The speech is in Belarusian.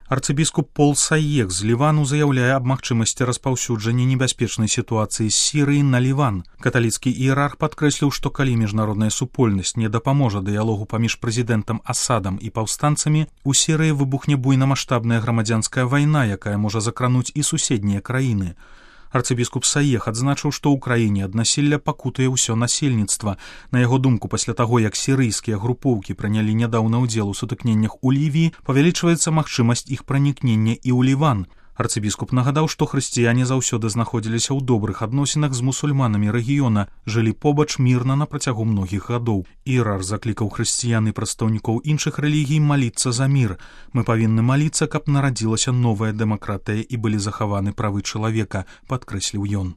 Арцыбіскуп Пол Саек з Лівану заяўляе аб магчымасці распаўсюджання небяспечнай сітуацыі з Сірыі на Ліван. Каталіцкі іерарх падкрэсліў, што калі міжнародная супольнасць не дапаможа дыялогу паміж прэзідэнтам Асадам і паўстанцамі, у Сірыі выбухне буйнамаштабная грамадзянская вайна, якая можа закрануць і суседнія краіны. Арцыбіскуп Саек адзначыў, што ў краіне ад насілля пакутае ўсё насельніцтва. На яго думку, пасля таго, як сірыйскія групоўкі прынялі нядаўна ўдзел у сутыкненнях у Лівіі, павялічваецца магчымасць іх пранікнення і ў Ліван. Арцыбіскуп нагадаў, што хрысціяне заўсёды знаходзіліся ў добрых адносінах з мусульманамі рэгіёна, жылі побач мірна на працягу многіх гадоў. Іерарх заклікаў хрысціян і прадстаўнікоў іншых рэлігій маліцца за мір. Мы павінны маліцца, каб нарадзілася новая дэмакратыя і былі захаваны правы чалавека, падкрэсліў ён.